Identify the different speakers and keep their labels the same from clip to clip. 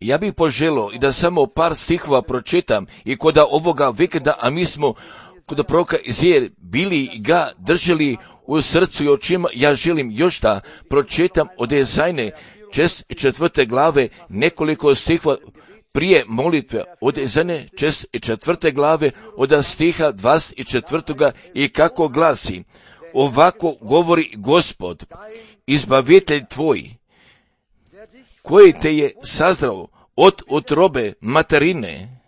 Speaker 1: Ja bih poželio i da samo par stihova pročitam i kod ovoga vikenda, a mi smo kod proroka Izaije bili ga držali u srcu i očima. Ja želim još da pročitam od Izajine 4. glave nekoliko stihova prije molitve od Izajine 4. glave od stiha 24. i kako glasi: ovako govori Gospod, izbavitelj tvoj, koji te je sazdravao od utrobe materine.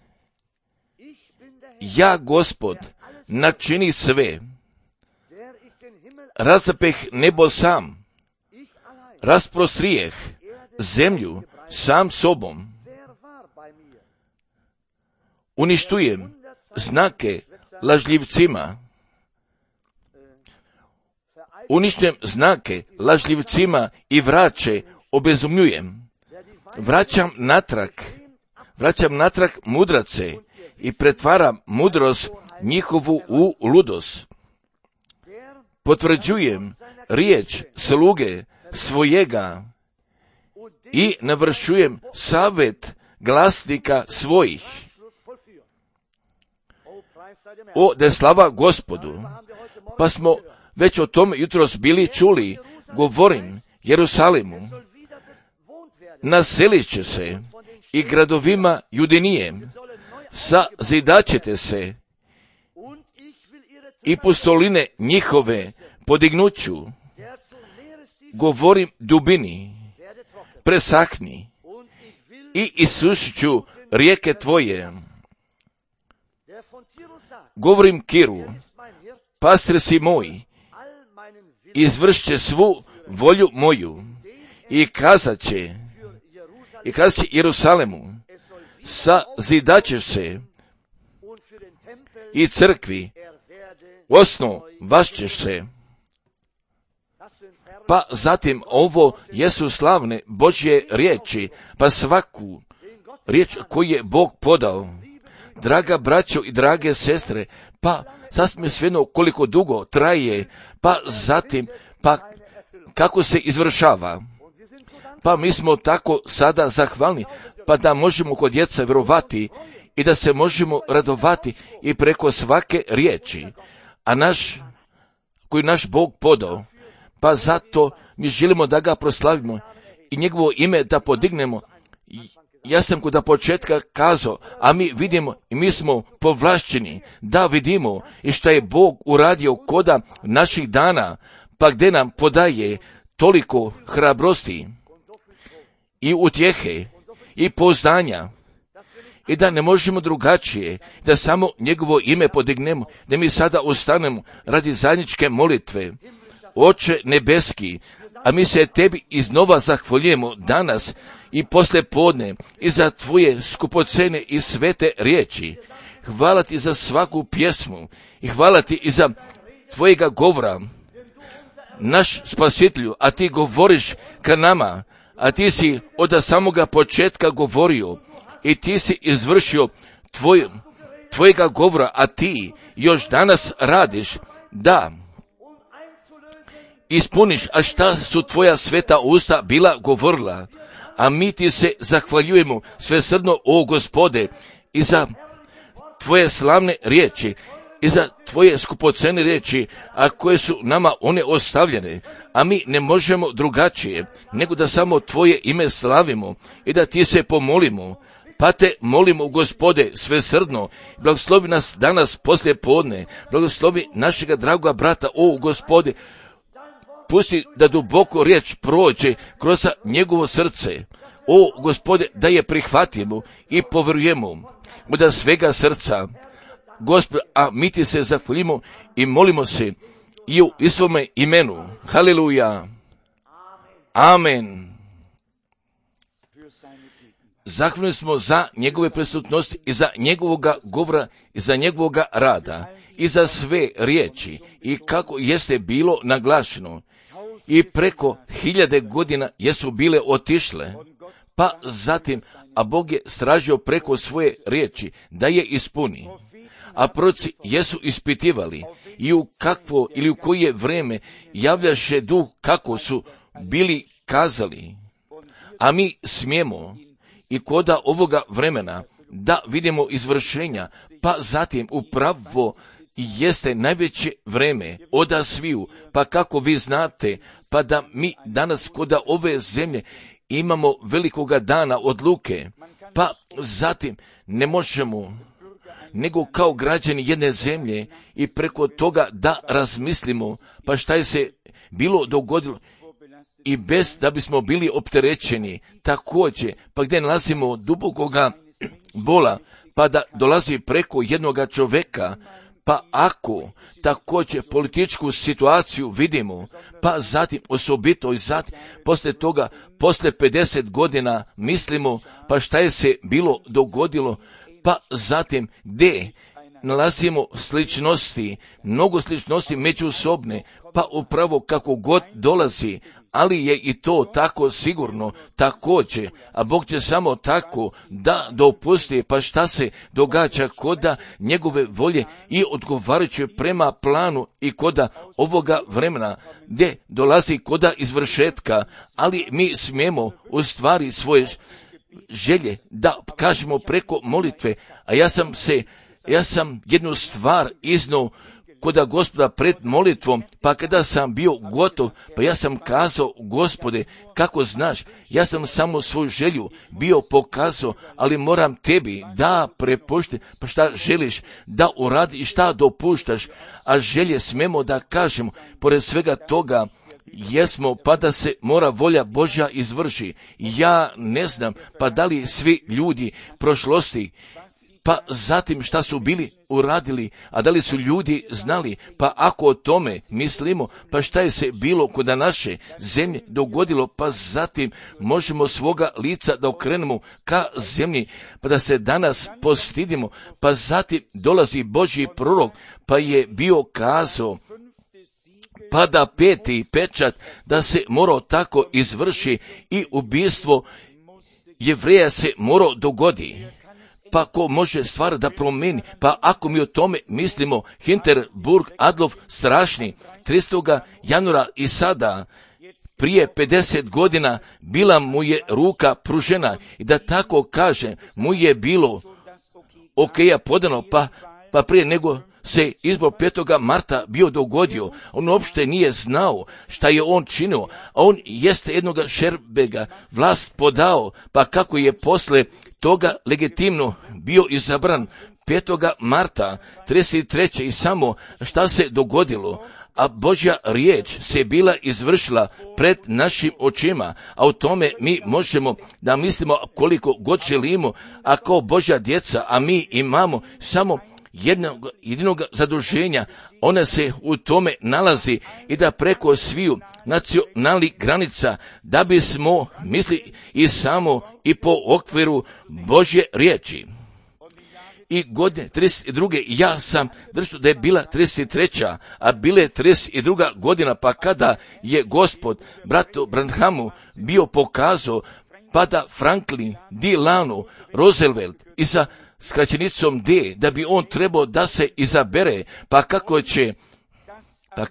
Speaker 1: Ja, Gospod, načini sve. Razapeh nebo sam, rasprostrijeh zemlju sam sobom. Uništujem znake lažljivcima. Uništujem znake lažljivcima i vraće obezumljujem. Vraćam natrag mudrace i pretvaram mudrost njihovu u ludost. Potvrđujem riječ sluge svojega i navršujem savjet glasnika svojih. O, da je slava Gospodu. Pa smo već o tome jutros bili čuli. Govorim Jerusalimu, naselit će se i gradovima Judinijem, sazidaćete se i pustoline njihove podignuću. Govorim dubini, presahni i isušit ću rijeke tvoje. Govorim Kiru, pastir si moj, izvršće svu volju moju i kazat će Jerusalemu, sazidaćeš se i crkvi, osnovašćeš se. Pa zatim ovo jesu slavne Božje riječi, pa svaku riječ koju je Bog podao. Draga braćo i drage sestre, pa sasvim svejedno koliko dugo traje, pa zatim, pa kako se izvršava. Pa mi smo tako sada zahvalni, pa da možemo kod djeca vjerovati i da se možemo radovati i preko svake riječi, koju naš Bog podao. Pa zato mi želimo da ga proslavimo i njegovo ime da podignemo. Ja sam kod početka kazao, a mi vidimo i mi smo povlašćeni da vidimo i šta je Bog uradio koda naših dana, pa gdje nam podaje toliko hrabrosti i utjehe i pouzdanja i da ne možemo drugačije, da samo njegovo ime podignemo, da mi sada ustanemo radi zajedničke molitve. Oče nebeski, a mi se tebi iznova zahvaljujemo danas i poslije podne i za tvoje skupocene i svete riječi. Hvala ti za svaku pjesmu i hvala ti i za tvojega govora, naš spasitelju, a ti govoriš ka nama, a ti si od samoga početka govorio i ti si izvršio tvojega govora, a ti još danas radiš da ispuniš, a šta su tvoja sveta usta bila govorila. A mi ti se zahvaljujemo svesrdno, o Gospode, i za tvoje slavne riječi, i za tvoje skupocene riječi, a koje su nama one ostavljene. A mi ne možemo drugačije, nego da samo tvoje ime slavimo i da ti se pomolimo. Pa te molimo, Gospode, svesrdno, blagoslovi nas danas poslije podne, blagoslovi našega dragoga brata, o Gospode, pusti da duboko riječ prođe kroz njegovo srce. O Gospode, da je prihvatimo i povjerujemo od svega srca. Gospod, a mi ti se zahvalimo i molimo se i u svome imenu. Haleluja. Amen. Zahvalni smo za njegove prisutnosti i za njegovoga govora i za njegovoga rada i za sve riječi i kako jeste bilo naglašeno. I preko 1000 godina jesu bile otišle, pa zatim, a Bog je stražio preko svoje riječi da je ispuni. A proroci jesu ispitivali i u kakvo ili u koje vrijeme javljaše duh kako su bili kazali. A mi smijemo i koda ovoga vremena da vidimo izvršenja, pa zatim upravo jeste najveće vreme oda sviju, pa kako vi znate, pa da mi danas koda ove zemlje imamo velikoga dana odluke, pa zatim ne možemo nego kao građani jedne zemlje i preko toga da razmislimo, pa šta je se bilo dogodilo i bez da bismo bili opterećeni također, pa gdje nalazimo dubokoga bola, pa da dolazi preko jednoga čovjeka, pa ako također političku situaciju vidimo, pa zatim osobito i zatim poslije toga, poslije 50 godina mislimo, pa šta je se bilo dogodilo, pa zatim gdje nalazimo sličnosti, mnogo sličnosti međusobne, pa upravo kako god dolazi, ali je i to tako sigurno također, a Bog će samo tako da dopusti, pa šta se događa koda njegove volje i odgovarajuće prema planu i koda ovoga vremena gdje dolazi koda izvršetka, ali mi smijemo u stvari svoje želje da kažemo preko molitve, a ja sam jednu stvar iznao koda Gospoda pred molitvom, pa kada sam bio gotov, pa ja sam kazao, Gospode, kako znaš, ja sam samo svoju želju bio pokazao, ali moram tebi da prepušti, pa šta želiš da uradi i šta dopuštaš, a želje smemo da kažemo, pored svega toga, jesmo, pa da se mora volja Božja izvrši. Ja ne znam, pa da li svi ljudi prošlosti, pa zatim šta su bili uradili, a da li su ljudi znali, pa ako o tome mislimo, pa šta je se bilo kod naše zemlje dogodilo, pa zatim možemo svoga lica da okrenemo ka zemlji, pa da se danas postidimo, pa zatim dolazi Božji prorok, pa je bio kazao, pa da 5. pečat da se morao tako izvrši i ubijstvo Jevreja se morao dogodi. Pa ko može stvar da promeni, pa ako mi o tome mislimo, Hinterburg Adolf strašni, 300. januara i sada, prije 50 godina, bila mu je ruka pružena i da tako kaže, mu je bilo okeja podano, pa prije nego se izbor 5. marta bio dogodio, on uopšte nije znao šta je on činio, a on jeste jednoga Šerbega vlast podao, pa kako je posle toga legitimno bio izabran 5. marta 33. i samo šta se dogodilo, a Božja riječ se bila izvršila pred našim očima, a o tome mi možemo da mislimo koliko god želimo, a kao Božja djeca, a mi imamo samo jedinog zaduženja, ona se u tome nalazi i da preko sviju nacionalnih granica, da bismo misli i samo i po okviru Božje riječi. I godine 32. ja sam držao da je bila 33. a bile 32. godina, pa kada je Gospod bratu Branhamu bio pokazao, pa da Franklin Delano Roosevelt i sa skraćenicom D, da bi on trebao da se izabere, pa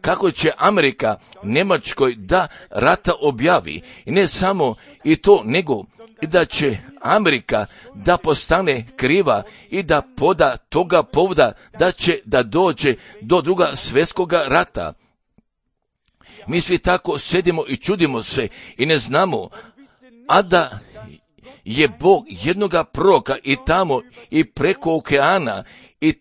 Speaker 1: kako će Amerika Njemačkoj da rata objavi, i ne samo i to, nego i da će Amerika da postane kriva i da poda toga povoda da će da dođe do Drugog svjetskog rata. Mi svi tako sedimo i čudimo se i ne znamo, a da je Bog jednoga proroka i tamo i preko okeana i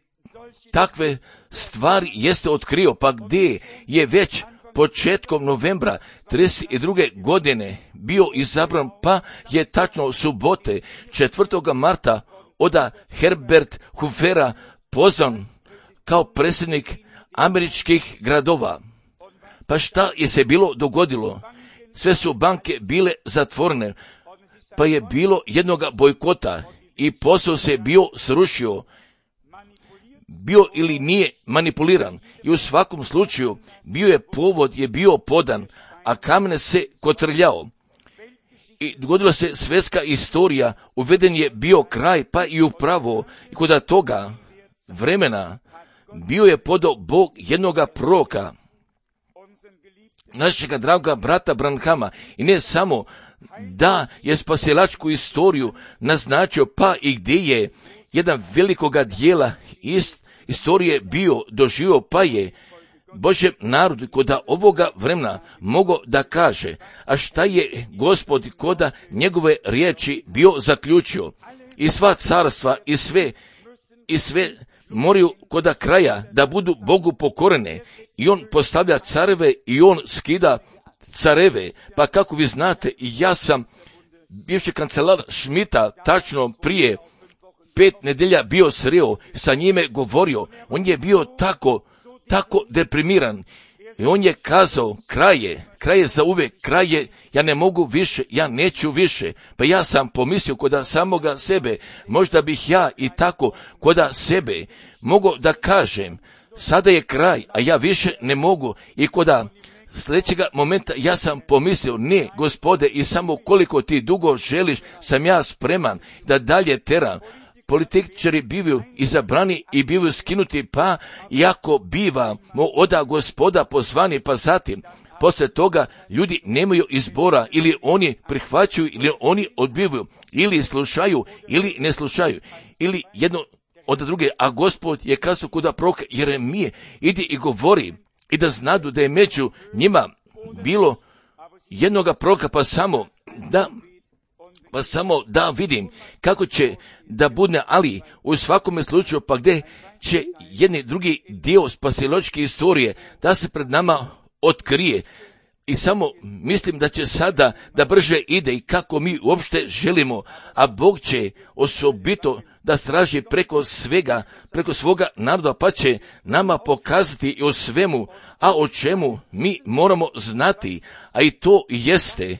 Speaker 1: takve stvari jeste otkrio, pa gdje je već početkom novembra 32. godine bio izabran, pa je tačno subote 4. marta oda Herbert Hoofera pozvan kao predsjednik američkih gradova. Pa šta je se bilo dogodilo? Sve su banke bile zatvorene, pa je bilo jednoga bojkota i posao se bio srušio, bio ili nije manipuliran, i u svakom slučaju povod je bio podan, a kamen se kotrljao. I dogodila se svjetska istorija, uveden je bio kraj, pa i upravo i kod toga vremena bio je podao Bog jednoga proroka, našega draga brata Branhama, i ne samo da je spasilačku istoriju naznačio, pa i gdje je jedan velikoga dijela istorije bio doživio, pa je Božjem narodu koda ovoga vremena mogao da kaže, a šta je Gospod koda njegove riječi bio zaključio, i sva carstva i sve moraju koda kraja da budu Bogu pokorene, i on postavlja careve i on skida careve. Pa kako vi znate, ja sam bivši kancelar Schmidta tačno prije 5 nedelja bio sreo, sa njime govorio, on je bio tako deprimiran i on je kazao, kraj je za uvijek, kraj je, ja ne mogu više, ja neću više. Pa ja sam pomislio koda samoga sebe, možda bih ja i tako koda sebe mogao da kažem, sada je kraj, a ja više ne mogu. I koda sljedećega momenta ja sam pomislio, ne, Gospode, i samo koliko ti dugo želiš, sam ja spreman da dalje teram. Političari bivaju izabrani i bivaju skinuti, pa iako bivamo oda Gospoda pozvani, pa zatim poslije toga ljudi nemaju izbora, ili oni prihvaćaju ili oni odbivaju, ili slušaju ili ne slušaju, ili jedno od druge. A Gospod je kazao kod proroka Jeremije, idi i govori, i da znadu da je među njima bilo jednoga proroka, pa samo da vidim kako će da bude, ali u svakome slučaju, pa gdje će jedni drugi dio spasilačke istorije da se pred nama otkrije. I samo mislim da će sada da brže ide i kako mi uopšte želimo, a Bog će osobito da straži preko svoga naroda, pa će nama pokazati i o svemu, a o čemu mi moramo znati, a i to jeste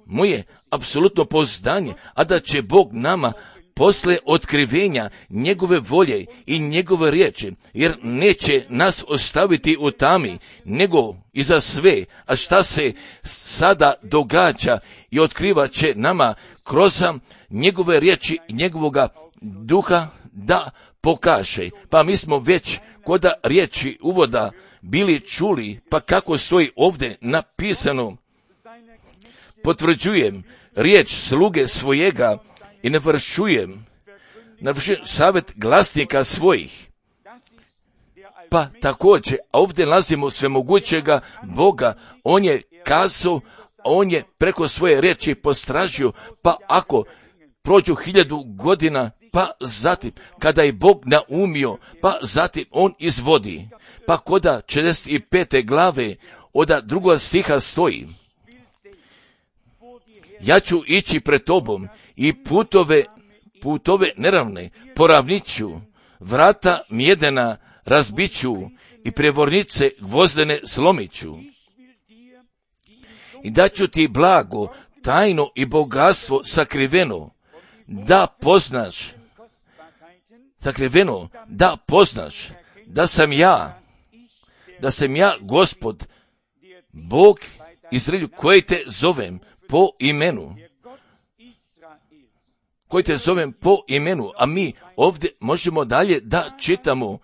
Speaker 1: moje apsolutno pouzdanje, a da će Bog nama posle otkrivenja njegove volje i njegove riječi, jer neće nas ostaviti u tami, nego i za sve, a šta se sada događa i otkriva će nama kroz njegove riječi i njegovoga duha da pokaže. Pa mi smo već koda riječi uvoda bili čuli, pa kako stoji ovdje napisano, potvrđujem riječ sluge svojega i ne vršujem savjet glasnika svojih. Pa također, ovdje nalazimo svemogućega Boga, on je kazao, on je preko svoje riječi postražio, pa ako prođu 1000 godina, pa zatim, kada je Bog naumio, pa zatim on izvodi. Pa koda 45. glave od 2. stiha stoji, ja ću ići pred tobom i putove neravne poravnit ću, vrata mjedena razbit ću i prevornice gvozdene slomit ću. I daću ti blago, tajno i bogatstvo sakriveno, da poznaš da sam ja Gospod, Bog Izraelju, koji te zovem po imenu, a mi ovdje možemo dalje da čitamo,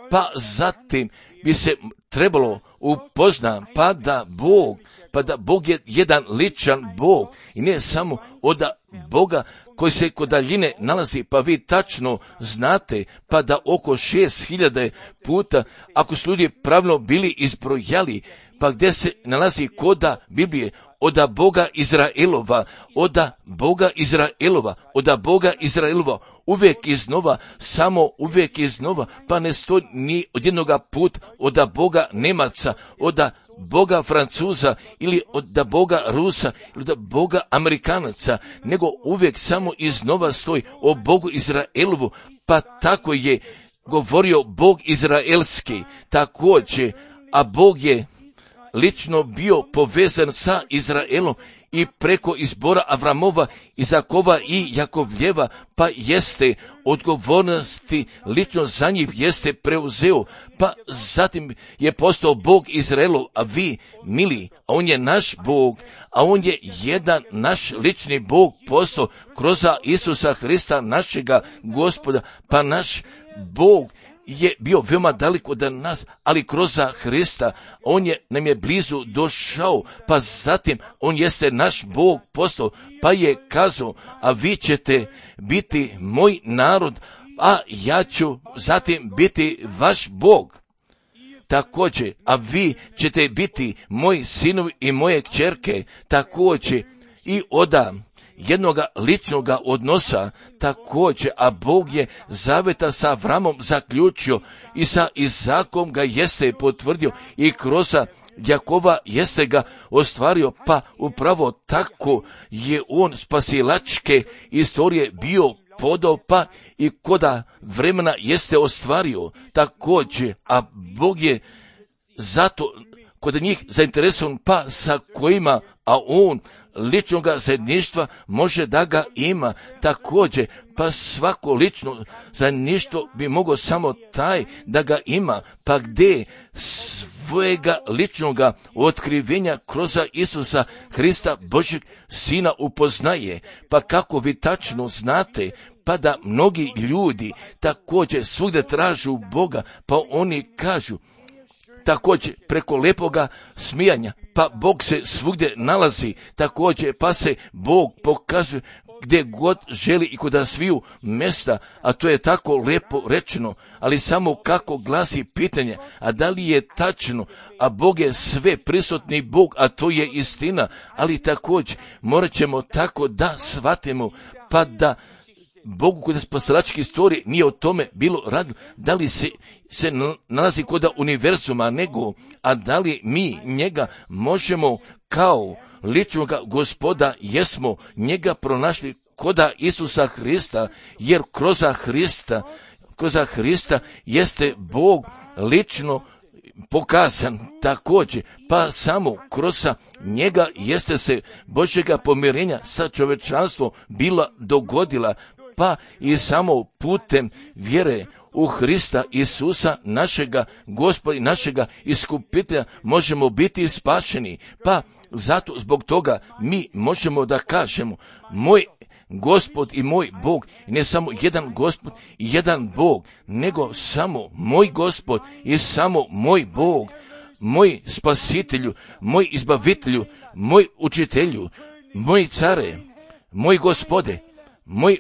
Speaker 1: pa zatim bi se trebalo upoznati, pa da Bog je jedan ličan Bog i ne samo od Boga koji se kod daljine nalazi, pa vi tačno znate, pa da oko 6000 puta, ako su ljudi pravilno bili izbrojali, pa gdje se nalazi koda Biblije, od Boga Izraelova, uvijek iznova, samo uvijek iznova, pa ne stoji ni od jednoga put od Boga Nemaca, od Boga Francuza ili od Boga Rusa ili od Boga Amerikanaca, nego uvijek samo iznova stoji o Bogu Izraelovu, pa tako je govorio Bog Izraelski također, a Bog je lično bio povezan sa Izraelom i preko izbora Avramova, Izakova i Jakovljeva, pa jeste odgovornosti lično za njih jeste preuzeo, pa zatim je postao Bog Izraelov, a vi, mili, a on je naš Bog, a on je jedan naš lični Bog postao kroz Isusa Hrista, našega Gospoda, pa naš Bog je bio veoma daleko od nas, ali kroz Hrista nam je blizu došao, pa zatim on jeste naš Bog postao, pa je kazao, a vi ćete biti moj narod, a ja ću zatim biti vaš Bog. Također, a vi ćete biti moji sinovi i moje kćerke, također i od jednoga ličnoga odnosa, također, a Bog je zaveta sa Avramom zaključio i sa Izakom ga jeste potvrdio i kroz Jakova jeste ga ostvario, pa upravo tako je on spasilačke istorije bio podao, pa i koda vremena jeste ostvario također, a Bog je zato kod njih zainteresovan, pa sa kojima, a on ličnoga zajedništva može da ga ima također, pa svako lično zajedništvo bi mogao samo taj da ga ima, pa gdje svojega ličnoga otkrivenja kroz Isusa Hrista, Božjeg Sina upoznaje, pa kako vi tačno znate, pa da mnogi ljudi također svugdje tražu Boga, pa oni kažu, također preko lepoga smijanja, pa Bog se svugdje nalazi, također pa se Bog pokazuje gdje god želi i kod sviju mjesta, a to je tako lepo rečeno, ali samo kako glasi pitanje, a da li je tačno, a Bog je sve prisutni Bog, a to je istina, ali također morat ćemo tako da shvatimo, pa da Bogu kod spasilačke istorije nije o tome bilo radilo, da li se nalazi kod univerzuma, nego, a da li mi njega možemo kao ličnog Gospoda, jesmo njega pronašli kod Isusa Hrista, jer kroz Hrista jeste Bog lično pokazan također, pa samo kroz njega jeste se Božjega pomirenja sa čovječanstvom bila dogodila, pa i samo putem vjere u Hrista Isusa, našega Gospoda i našega iskupitelja, možemo biti spašeni. Pa zato zbog toga mi možemo da kažemo, moj Gospod i moj Bog, i ne samo jedan Gospod i jedan Bog, nego samo moj Gospod i samo moj Bog, moj spasitelju, moj izbavitelju, moj učitelju, moj care, moj Gospode, moj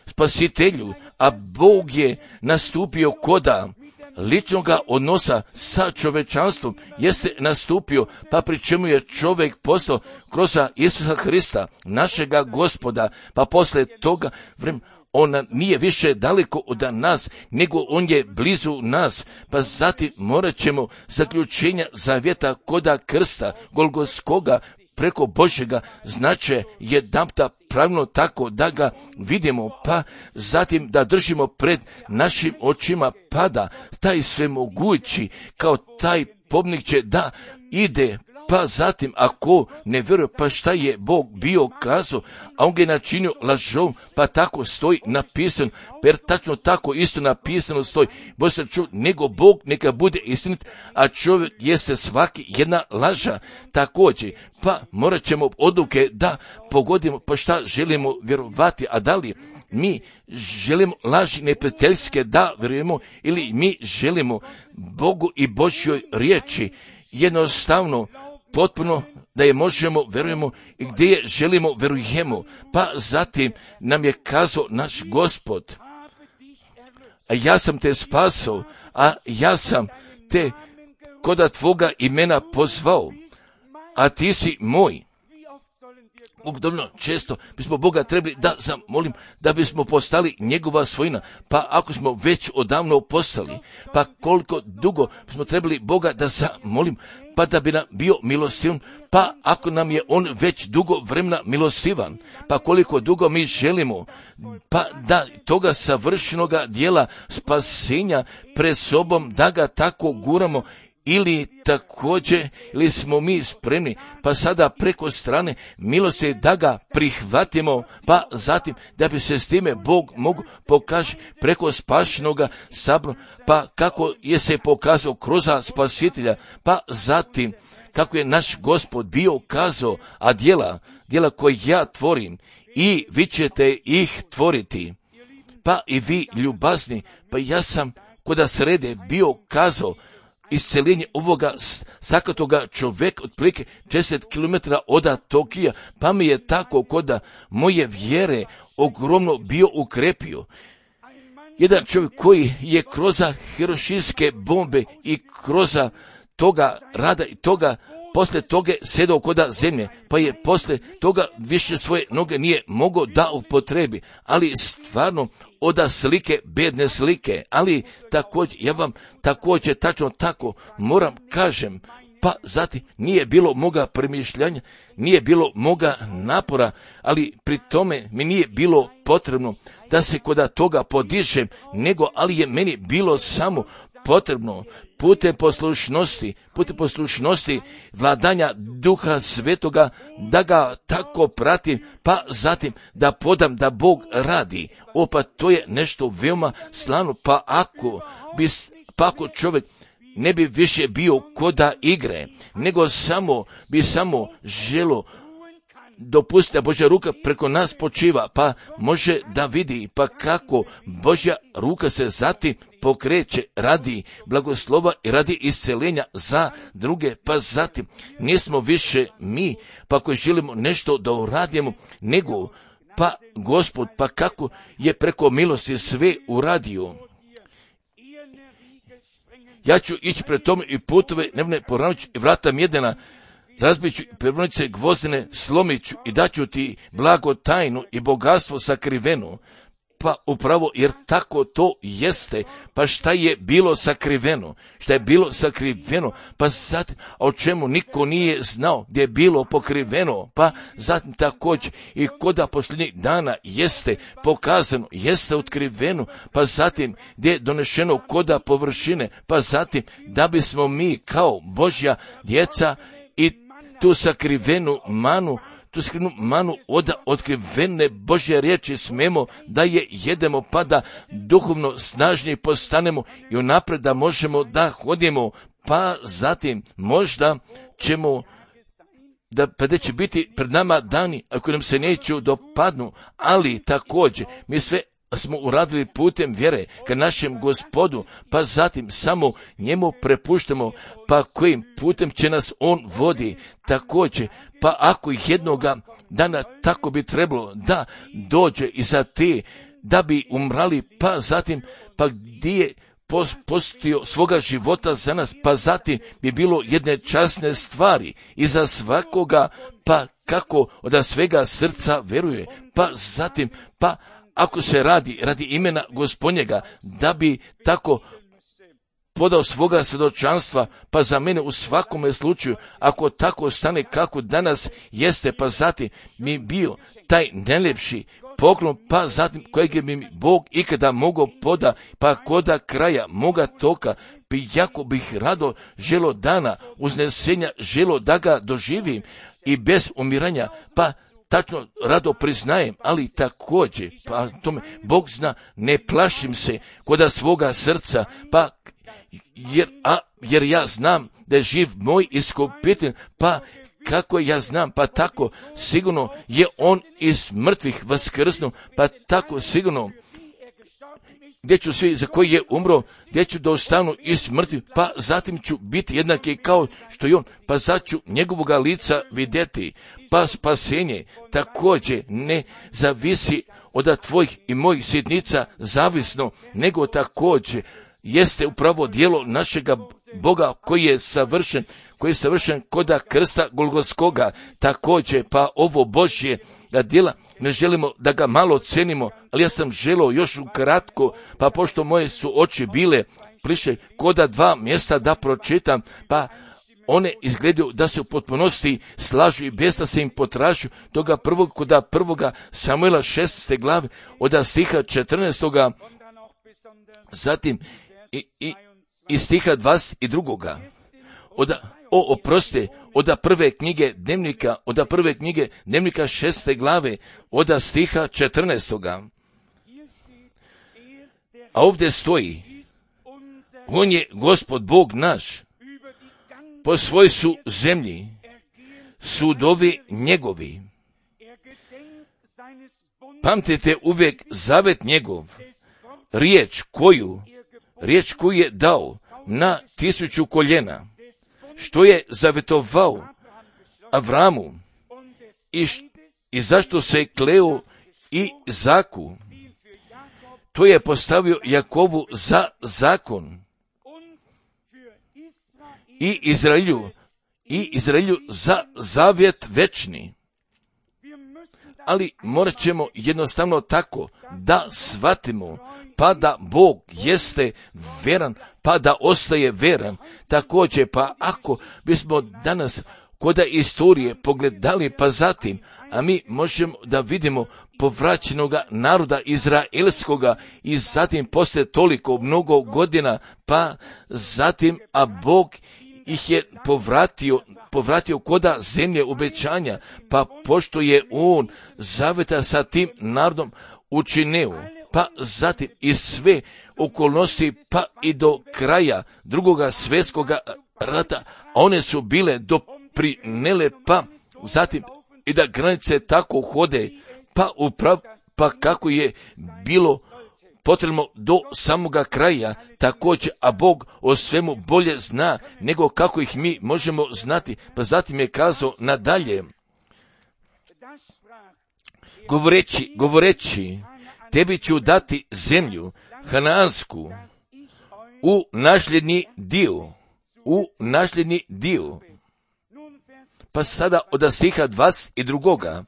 Speaker 1: spasitelju, a Bog je nastupio koda ličnoga odnosa sa čovečanstvom, jeste nastupio, pa pri čemu je čovjek postao kroz Isusa Hrista, našega Gospoda, pa posle toga vremena on nije više daleko od nas, nego on je blizu nas, pa zatim morat ćemo zaključenja zavjeta koda krsta Golgotskoga preko Božjega znače jedanputa pravilno tako da ga vidimo, pa zatim da držimo pred našim očima, pa da taj svemogući kao taj pobnik će da ide, pa zatim ako ne vjeruje, pa šta je Bog bio kazao, a on ga je načinio lažom, pa tako stoji napisano, jer tačno tako isto napisano stoji, Bog se čuo, nego Bog neka bude istinit, a čovjek jeste svaki jedna laža također, pa morat ćemo odluke da pogodimo, pa šta želimo vjerovati, a da li mi želimo laži neprijateljske da vjerujemo, ili mi želimo Bogu i Božjoj riječi, jednostavno potpuno da je možemo, verujemo, i gdje je želimo, verujemo. Pa zatim nam je kazao naš Gospod, a ja sam te spasao, a ja sam te koda tvoga imena pozvao, a ti si moj. Uglavnom, često bismo Boga trebali da zamolim da bismo postali njegova svojina, pa ako smo već odavno postali, pa koliko dugo bismo trebali Boga da zamolim, pa da bi nam bio milostivan, pa ako nam je on već dugo vremena milostivan, pa koliko dugo mi želimo, pa da toga savršenoga dijela spasenja pred sobom da ga tako guramo, ili također, ili smo mi spremni, pa sada preko strane milosti da ga prihvatimo, pa zatim da bi se s time Bog mogu pokaži preko spašenoga sabora, pa kako je se pokazao kroz spasitelja, pa zatim kako je naš Gospod bio kazao, a djela koje ja tvorim i vi ćete ih tvoriti, pa i vi ljubazni, pa ja sam koda srede bio kazao isceljenje ovoga sakatoga čovjeka otprilike 10 km od Tokija, pa mi je tako koda moje vjere ogromno bio ukrepio. Jedan čovjek koji je kroz hirošimske bombe i kroz toga rada i toga poslije toga sedao koda zemlje, pa je poslije toga više svoje noge nije mogao da upotrebi, ali stvarno oda slike, bedne slike, ali također, ja vam također tačno tako moram kažem, pa zatim nije bilo moga premišljanja, nije bilo moga napora, ali pri tome mi nije bilo potrebno da se koda toga podižem, nego ali je meni bilo samo potrebno putem poslušnosti vladanja Duha Svetoga da ga tako pratim, pa zatim da podam da Bog radi. Pa to je nešto veoma slano, pa ako čovjek ne bi više bio koda igre, nego bi samo želo dopustiti da Božja ruka preko nas počiva, pa može da vidi pa kako Božja ruka se zatim pokreće radi blagoslova i radi isceljenja za druge, pa zatim nismo više mi, pa koji želimo nešto da uradimo, nego pa Gospod, pa kako je preko milosti sve uradio. Ja ću ići pred tome i putove nevne poravniću i vrata mjedena, razbiću prevonice gvozdene, slomiću i daću ti blago tajnu i bogatstvo sakriveno. Pa upravo jer tako to jeste, pa šta je bilo sakriveno? Šta je bilo sakriveno? Pa zatim, a o čemu niko nije znao, gdje je bilo pokriveno, pa zatim također i koda posljednjih dana jeste pokazano, jeste otkriveno, pa zatim gdje je donešeno koda površine, pa zatim da bismo mi kao Božja djeca i tu sakrivenu manu od otkrivene Božje riječi smemo da je jedemo, pa da duhovno snažnije postanemo i unaprijed da možemo da hodimo, pa zatim možda ćemo da će biti pred nama dani ako nam se neću dopadnu, ali također mi sve smo uradili putem vjere ka našem Gospodu, pa zatim samo njemu prepuštamo, pa kojim putem će nas on vodi. Također, pa ako jednoga dana tako bi trebalo da dođe i za te, da bi umrali, pa zatim, pa gdje je postio svoga života za nas, pa zatim bi bilo jedne časne stvari i za svakoga, pa kako od svega srca veruje, pa zatim, pa ako se radi imena Gospodnjega, da bi tako podao svoga svjedočanstva, pa za mene u svakome slučaju, ako tako stane kako danas jeste, pa zatim mi bio taj najljepši poklon, pa zatim kojeg je mi Bog ikada mogao poda, pa koda kraja moga toka, bi jako bih rado želo dana uznesenja, želo da ga doživim i bez umiranja, pa tačno rado priznajem, ali također, pa tome Bog zna, ne plašim se koda svoga srca, pa jer ja znam da je živ moj iskupitelj, pa kako ja znam, pa tako sigurno je on iz mrtvih vaskrsnuo, pa tako sigurno gdje ću svi za koji je umro, gdje ću da ostanu iz mrtvih, pa zatim ću biti jednaki kao što je on, pa zatim ću njegovoga lica vidjeti, pa spasenje također ne zavisi od tvojih i mojih sitnica zavisno, nego također jeste upravo djelo našega Boga koji je savršen koda krsta Golgotskoga, također pa ovo Božje djela ne želimo da ga malo cenimo, ali ja sam želio još ukratko, pa pošto moje su oči bile pliše koda 2 mjesta da pročitam, pa one izgledaju da se u potpunosti slažu i bez da se im potražuju, toga koda prvoga Samuela 16. glave od stiha 14. zatim i stiha 22. Od prve knjige dnevnika 6. glave od stiha 14. A ovdje stoji, on je Gospod Bog naš, po svoj su zemlji, sudovi njegovi. Pamtite uvijek zavet njegov, riječ koju riječ koju je dao na 1000 koljena, što je zavetovao Avramu i zašto se kleo i Izaku. To je postavio Jakovu za zakon i Izraelju za zavjet večni. Ali morat ćemo jednostavno tako da shvatimo, pa da Bog jeste veran, pa da ostaje veran. Također, pa ako bismo danas koda istorije pogledali, pa zatim, a mi možemo da vidimo povraćenoga naroda izraelskoga i zatim poslije toliko mnogo godina, pa zatim, a Bog ih je povratio koda zemlje obećanja, pa pošto je on zaveta sa tim narodom učinio, pa zatim i sve okolnosti, pa i do kraja drugoga svjetskoga rata, one su bile doprinele, pa zatim i da granice tako hode, pa kako je bilo potrebno do samoga kraja, također, a Bog o svemu bolje zna nego kako ih mi možemo znati, pa zatim je kazao nadalje, govoreći, tebi ću dati zemlju Hanaansku u nasljedni dio. Pa sada od stiha 22.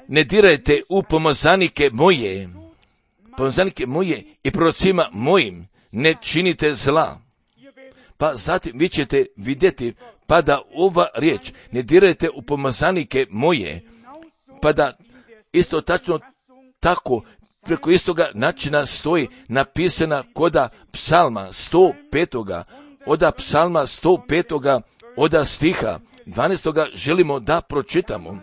Speaker 1: Ne dirajte u pomazanike moje i prorocima mojim ne činite zla. Pa zatim vi ćete vidjeti, pa da ova riječ, ne dirajte u pomazanike moje, pa da isto tačno tako, preko istoga načina stoji napisana koda psalma 105. Oda psalma 105. Oda stiha 12. želimo da pročitamo.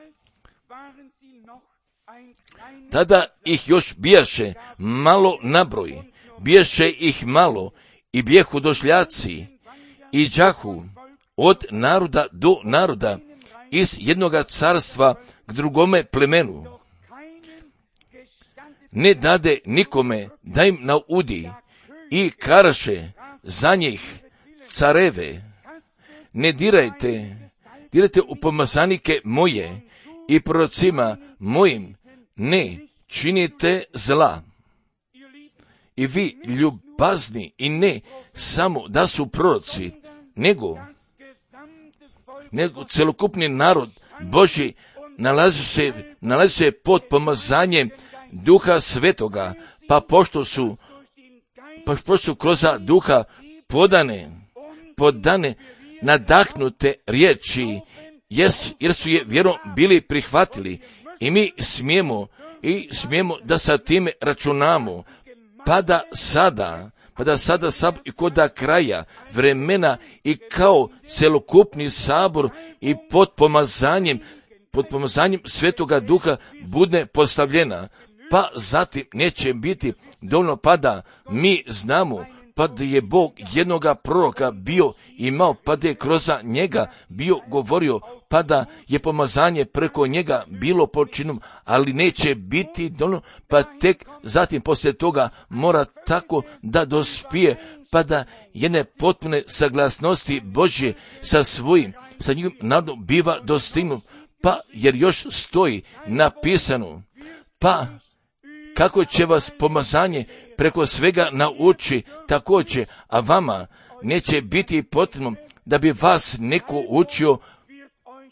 Speaker 1: Tada ih još bijaše malo nabroj, bijaše ih malo i bijehu došljaci i đahu od naroda do naroda, iz jednoga carstva k drugome plemenu. Ne dade nikome da im naudi i karaše za njih careve. Ne dirajte u pomazanike moje i prorocima mojim ne činite zla. I vi ljubazni, i ne samo da su proroci, nego celokupni narod Božji nalazi se pod pomazanjem Duha Svetoga, pa pošto su kroz Duha podane nadahnute riječi, jer su je vjerom bili prihvatili, i mi smijemo da sa time računamo, pa da sada i koda kraja vremena i kao celokupni sabor i pod pomazanjem Svetoga Duha bude postavljena, pa zatim neće biti dovoljno, pa da mi znamo, pa da je Bog jednoga proroka bio imao, pa da je kroz njega bio govorio, pa da je pomazanje preko njega bilo počinom, ali neće biti dovoljno, pa tek zatim poslije toga mora tako da dospije, pa da jedne potpune saglasnosti Božje sa njihovim narodom biva dostignut, pa jer još stoji napisano, pa kako će vas pomazanje preko svega nauči također, a vama neće biti potrebno da bi vas neko učio,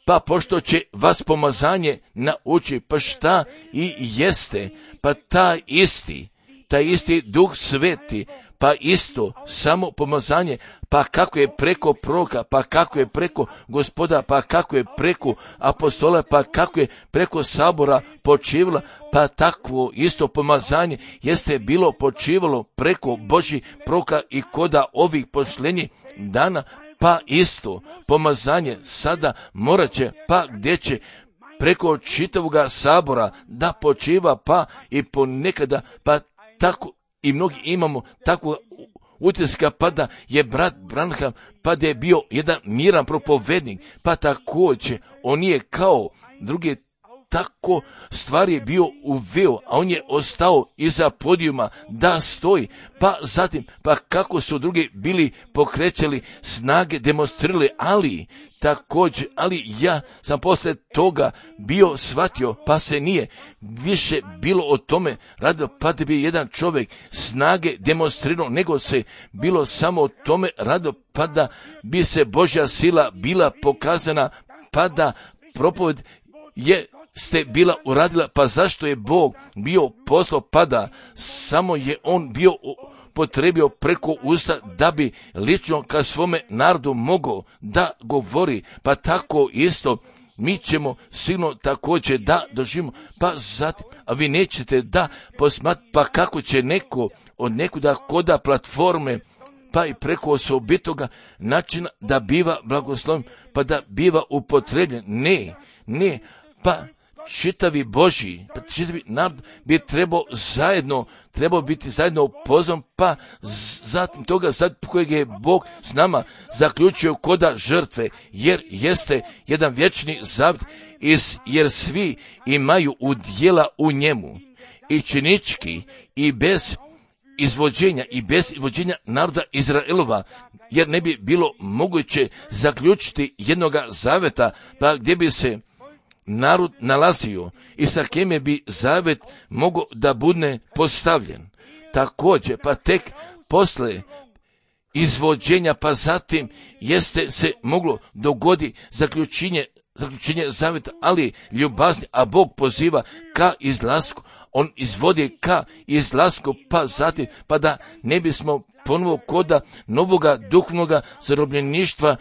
Speaker 1: pa pošto će vas pomazanje nauči, pa šta i jeste, pa taj isti Duh Sveti, pa isto samo pomazanje, pa kako je preko proroka, pa kako je preko Gospoda, pa kako je preko apostola, pa kako je preko sabora počivalo, pa takvo isto pomazanje jeste bilo počivalo preko Božjih proroka i koda ovih posljednjih dana, pa isto pomazanje sada morat će, pa gdje će preko čitavoga sabora da počiva, pa i ponekada, pa tako i mnogi imamo takvog utiska, pa da je brat Branham, pa da je bio jedan miran propovednik, pa također on nije kao drugi tako stvari je bio uveo, a on je ostao iza podijuma da stoji, pa zatim, pa kako su drugi bili pokrećali snage, demonstrirali, ali također, ali ja sam posle toga bio shvatio, pa se nije više bilo o tome radilo, pa da bi jedan čovjek snage demonstrirao, nego se bilo samo o tome radilo, pa da bi se Božja sila bila pokazana, pa da propoved ste bila uradila, pa zašto je Bog bio poslao, pa da samo je on bio potrebio preko usta da bi lično ka svome narodu mogao da govori, pa tako isto mi ćemo sigurno također da doživimo, pa zatim, a vi nećete da posmatrati, pa kako će neko od nekuda koda platforme, pa i preko osobitoga načina da biva blagosloven, pa da biva upotrebljen. Ne, pa čitavi Božji, pa čitavi narod bi trebao biti zajedno upoznan, pa zatim toga sad kojeg je Bog s nama zaključio koda žrtve, jer jeste jedan vječni zavjet, jer svi imaju udjela u njemu, i činički, i bez izvođenja naroda Izraelova, jer ne bi bilo moguće zaključiti jednoga zaveta, pa gdje bi se narod nalazio i sa kime bi zavet mogao da bude postavljen. Također, pa tek posle izvođenja, pa zatim jeste se moglo dogoditi zaključenje zaveta, ali ljubazni, a Bog poziva ka izlasku, on izvodi ka izlasku, pa zatim, pa da ne bismo ponovo koda novoga duhovnoga zarobljeništva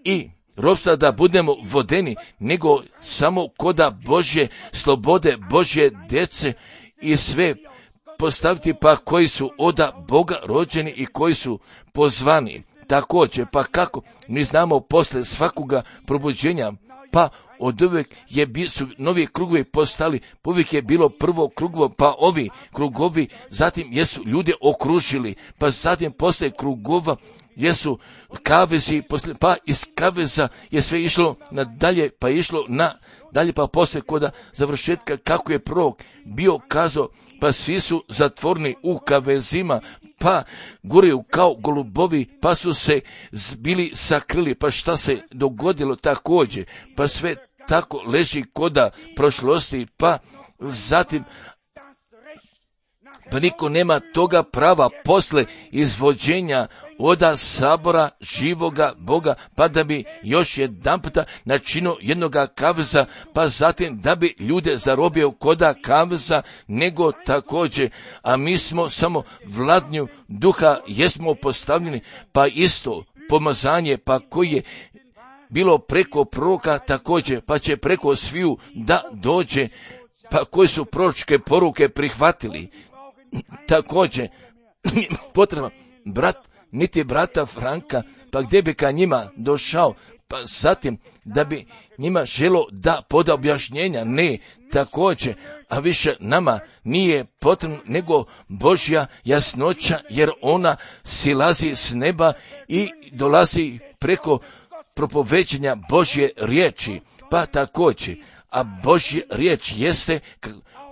Speaker 1: i ropstva da budemo vodeni, nego samo koda Božje slobode, Božje djece i sve postaviti, pa koji su oda Boga rođeni i koji su pozvani. Također, pa kako mi znamo posle svakoga probuđenja, pa od uvijek su novi krugovi postali, uvijek je bilo prvo krugovo, pa ovi krugovi, zatim jesu ljude okružili, pa zatim posle krugova jesu kavezi, pa iz kaveza je sve išlo nadalje, pa išlo na dalje, pa posle koda završetka, kako je prorok bio kazao, pa svi su zatvorni u kavezima, pa gureju kao golubovi, pa su se bili sakrili, pa šta se dogodilo također, pa sve tako leži koda prošlosti, pa zatim pa niko nema toga prava posle izvođenja oda sabora živoga Boga, pa da bi još jedan puta načinio jednoga kaveza, pa zatim da bi ljude zarobio koda kaveza, nego također, a mi smo samo vladnju duha, jesmo postavljeni, pa isto pomazanje, pa koji je bilo preko proroka također, pa će preko sviju da dođe, pa koji su proročke poruke prihvatili. Također, potreba niti brata Franka, pa gdje bi ka njima došao, pa zatim da bi njima želo da poda objašnjenja, ne, također, a više nama nije potrebno nego Božja jasnoća, jer ona silazi s neba i dolazi preko propoveđenja Božje riječi, pa također, a Božja riječ jeste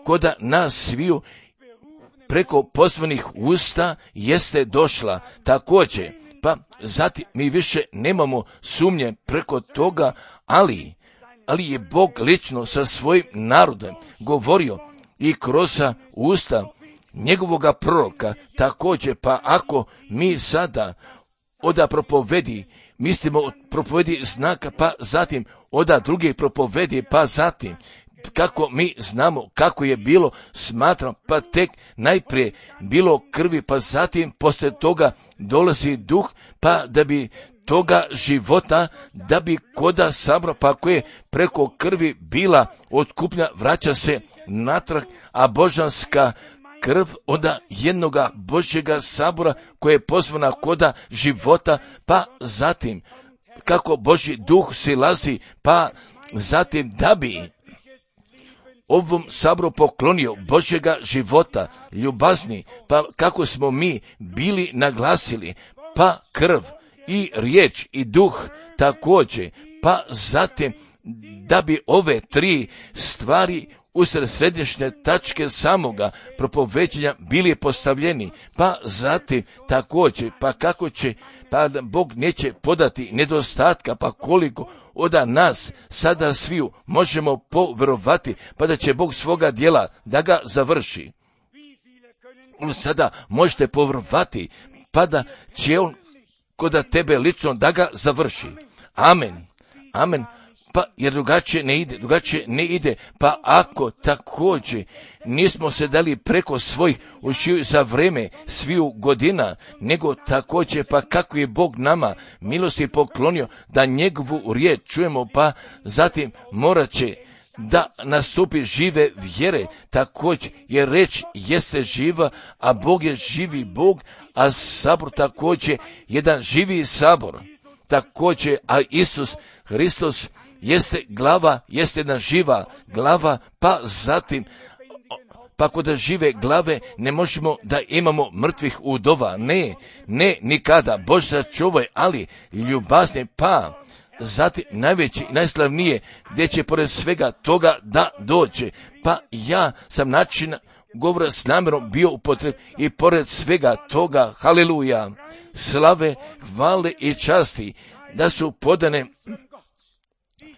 Speaker 1: koda nas sviju preko pozvanih usta jeste došla također, pa zatim mi više nemamo sumnje preko toga, ali je Bog lično sa svojim narodom govorio i kroz usta njegovoga proroka također, pa ako mi sada oda propovedi, mislimo od propovedi znaka, pa zatim oda druge propovedi, pa zatim kako mi znamo kako je bilo, smatram, pa tek najprije bilo krvi, pa zatim poslije toga dolazi duh, pa da bi toga života, da bi koda sabra, pa koje preko krvi bila otkupnja, vraća se natrag, a božanska krv onda jednoga Božjega sabora koje je pozvana koda života, pa zatim kako Božji duh silazi, pa zatim da bi ovom saboru poklonio Božjega života, ljubazni, pa kako smo mi bili naglasili, pa krv i riječ i duh također, pa zatim da bi ove 3 stvari usred središnje tačke samoga propoveđenja bili postavljeni, pa zatim također, pa kako će, pa Bog neće podati nedostatka, pa koliko od nas sada sviju možemo povjerovati, pa da će Bog svoga djela da ga završi. Sada možete povjerovati, pa da će on kod tebe lično da ga završi. Amen. Amen. Pa jer drugačije ne ide, pa ako također nismo se dali preko svojih ušiju za vreme sviju godina, nego također pa kako je Bog nama milosti poklonio da njegovu riječ čujemo, pa zatim morat će da nastupi žive vjere, također jer reč jeste živa, a Bog je živi Bog, a sabor također jedan živi sabor, također, a Isus Hristos jeste glava, jeste jedna živa glava, pa zatim, pa kod žive glave ne možemo da imamo mrtvih udova, ne nikada, Bože sačuvaj, ali ljubazni, pa zatim najveći, najslavnije, gdje će pored svega toga da dođe, pa ja sam način govora s namjerom bio upotreb i pored svega toga, haleluja, slave, hvale i časti, da su podane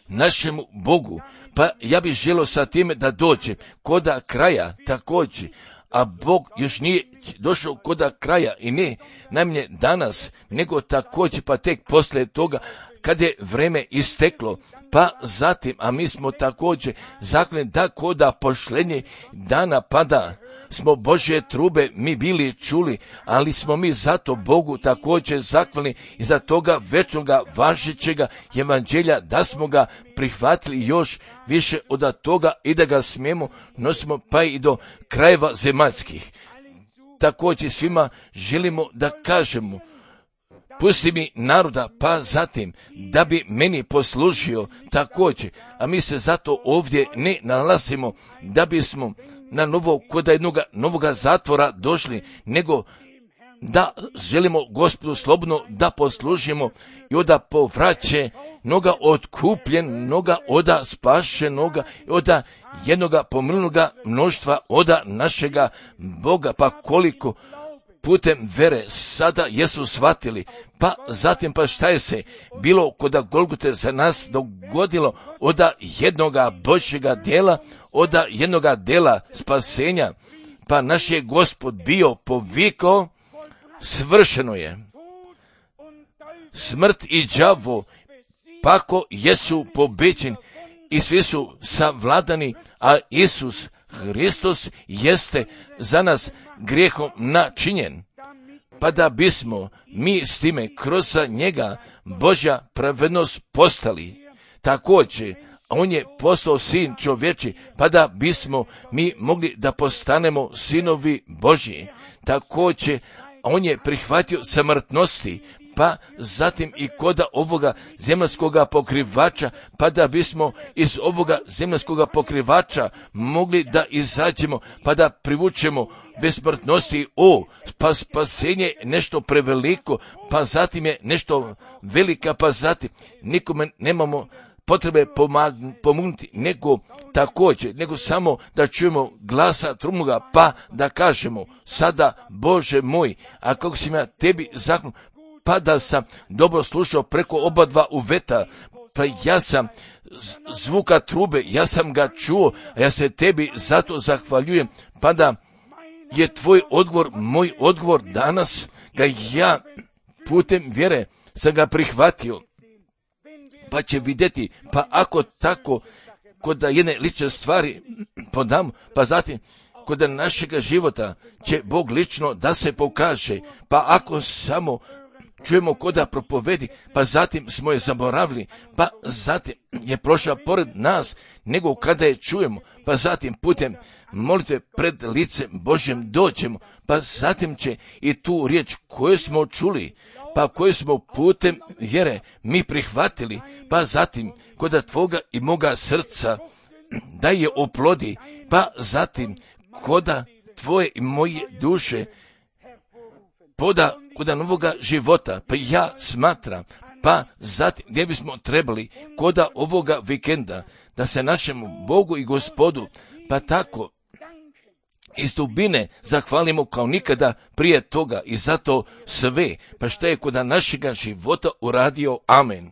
Speaker 1: našemu Bogu, pa ja bih želio sa time da dođe koda kraja također, a Bog još nije došao koda kraja i ne najmanje danas, nego također pa tek poslije toga kad je vreme isteklo, pa zatim, a mi smo također zakljeni da koda pošlenje dana pada smo Božje trube mi bili čuli, ali smo mi zato Bogu također zakljeni i za toga večnoga važećega evanđelja da smo ga prihvatili još više od toga i da ga smijemo nosimo pa i do krajeva zemaljskih. Također svima želimo da kažemo, pusti mi naroda, pa zatim da bi meni poslužio također, a mi se zato ovdje ne nalazimo da bismo na novo kod jednog novoga zatvora došli, nego da želimo Gospodu slobodno da poslužimo i oda povraće noga otkupljen, noga oda spašenoga i oda jednoga pomilunoga mnoštva oda našega Boga, pa koliko putem vere sada jesu shvatili, pa zatim pa šta je se bilo koda Golgote za nas dogodilo oda jednoga Božjega djela, oda jednoga djela spasenja, pa naš je Gospod bio povikao, svršeno je. Smrt i đavo pako jesu pobeđeni i svi su savladani, a Isus Hristos jeste za nas grijehom načinjen, pa da bismo mi s time kroz njega Božja pravednost postali. Također, on je postao sin čovječi, pa da bismo mi mogli da postanemo sinovi Božji. Također, on je prihvatio smrtnosti, pa zatim i koda ovoga zemaljskoga pokrivača, pa da bismo iz ovoga zemaljskoga pokrivača mogli da izađemo, pa da privučemo bez smrtnosti, pa spasenje nešto preveliko, pa zatim je nešto velika, pa zatim nikome nemamo potrebe pomognuti, nego također, nego samo da čujemo glasa trumnoga, pa da kažemo, sada Bože moj, a kako si ja tebi zakon, pa da sam dobro slušao preko oba dva uveta, pa ja sam zvuka trube, ja sam ga čuo, a ja se tebi zato zahvaljujem, pa da je tvoj odgovor, moj odgovor danas, ga ja putem vjere sam ga prihvatio, pa će vidjeti, pa ako tako, kod jedne lične stvari podam, pa zatim kod našega života će Bog lično da se pokaže, pa ako samo čujemo koda propovedi, pa zatim smo je zaboravili, pa zatim je prošla pored nas, nego kada je čujemo, pa zatim putem molitve pred licem Božjem dođemo, pa zatim će i tu riječ koju smo čuli, pa koju smo putem vjere mi prihvatili, pa zatim koda tvoga i moga srca da je oplodi, pa zatim koda tvoje i moje duše poda koda novoga života, pa ja smatram, Pa zatim gdje bismo trebali koda ovoga vikenda da se našemu Bogu i Gospodu pa tako iz dubine zahvalimo kao nikada prije toga i zato sve, pa što je kod našega života uradio. Amen.